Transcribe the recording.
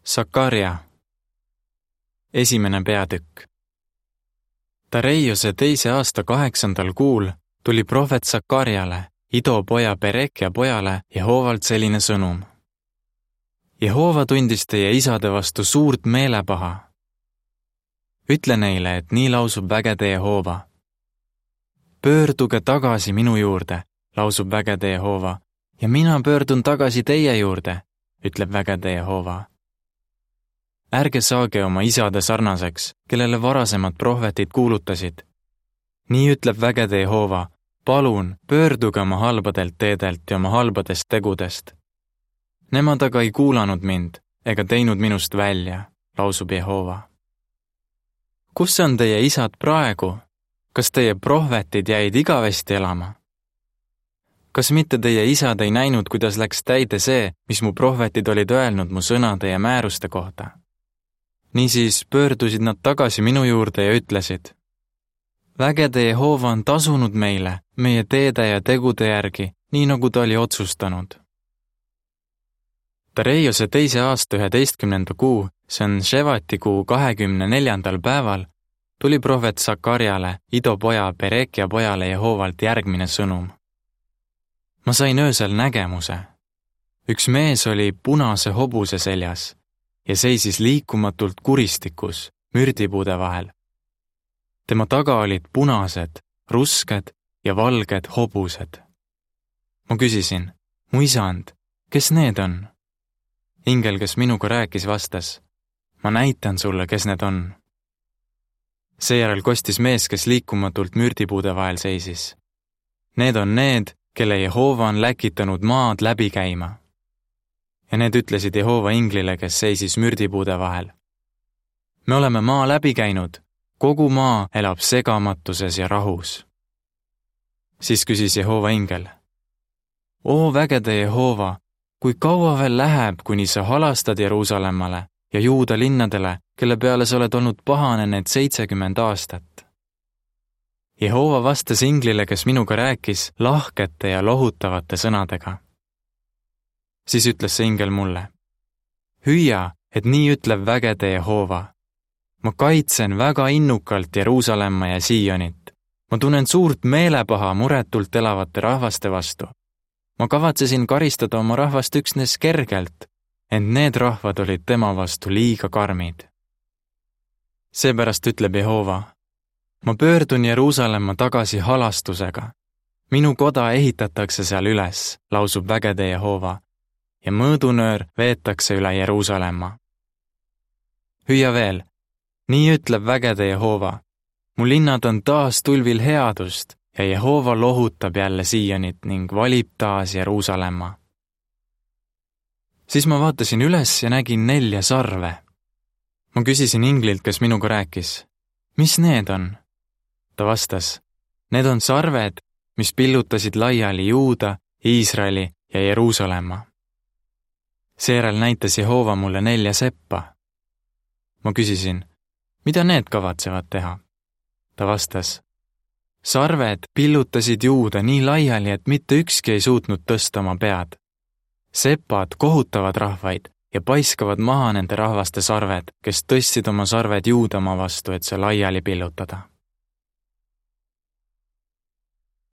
Sakarja. 1. peatükk. Tareiose 2. aasta 8. kuul tuli prohvet Sakarjale, Ido poja Berekja pojale Jehoovalt selline sõnum. Jehoova tundis teie isade vastu suurt meelepaha. Ütle neile, et nii lausub vägede Jehoova. Pöörduge tagasi minu juurde, lausub vägede Jehoova, ja mina pöördun tagasi teie juurde, ütleb vägede Jehoova. Ärge saage oma isade sarnaseks, kellele varasemad prohvetid kuulutasid. Nii ütleb vägede Jehoova, palun pöörduge oma halbadelt teedelt ja oma halbadest tegudest. Nemad aga ei kuulanud mind ega teinud minust välja, lausub Jehoova. Kus on teie isad praegu? Kas teie prohvetid jäid igavesti elama? Kas mitte teie isad ei näinud, kuidas läks täide see, mis mu prohvetid olid öelnud mu sõnade ja määruste kohta? Niisiis pöördusid nad tagasi minu juurde ja ütlesid, vägede Jehoova on tasunud meile, meie teede ja tegude järgi, nii nagu ta oli otsustanud. Tareiose 2. aasta 11. kuu, see on Ševati kuu 24. päeval, tuli prohvet Sakarjale, Ido poja Berekja pojale Jehoovalt järgmine sõnum. Ma sain öösel nägemuse. Üks mees oli punase hobuse seljas ja seisis liikumatult kuristikus, mürdipuude vahel. Tema taga olid punased, rusked ja valged hobused. Ma küsisin, mu isand, kes need on? Ingel, kes minuga rääkis, vastas, ma näitan sulle, kes need on. Seejärel kostis mees, kes liikumatult mürdipuude vahel seisis. Need on need, kelle Jehoova on läkitanud maad läbi käima. Ja need ütlesid Jehoova inglile, kes seisis mürdipuude vahel. Me oleme maa läbi käinud, kogu maa elab segamatuses ja rahus. Siis küsis Jehoova ingel, oo vägede Jehoova, kui kaua veel läheb, kuni sa halastad Jeruusalemmale ja Juuda linnadele, kelle peale sa oled olnud pahane need 70 aastat? Jehoova vastas inglile, kes minuga rääkis, lahkete ja lohutavate sõnadega. Siis ütles see ingel mulle, hüüa, et nii ütleb vägede Jehoova. Ma kaitsen väga innukalt Jeruusalemma ja Siionit. Ma tunnen suurt meelepaha muretult elavate rahvaste vastu. Ma kavatsesin karistada oma rahvast üksnes kergelt, ent need rahvad olid tema vastu liiga karmid. Seepärast ütleb Jehoova, ma pöördun Jeruusalemma tagasi halastusega. Minu koda ehitatakse seal üles, lausub vägede Jehoova, ja mõõdunöör veetakse üle Jeruusalemma. Hüüa veel, nii ütleb vägede Jehoova, mu linnad on taas tulvil headust ja Jehoova lohutab jälle Siionit ning valib taas Jeruusalemma. Siis ma vaatasin üles ja nägin 4 sarve. Ma küsisin inglilt, kes minuga rääkis, mis need on? Ta vastas, need on sarved, mis pillutasid laiali Juuda, Iisraeli ja Jeruusalemma. Seejärel näitas Jehoova mulle 4 seppa. Ma küsisin, mida need kavatsevad teha? Ta vastas, sarved pillutasid Juuda nii laiali, et mitte ükski ei suutnud tõsta oma pead. Sepad kohutavad rahvaid ja paiskavad maha nende rahvaste sarved, kes tõstsid oma sarved Juudamaa vastu, et see laiali pillutada.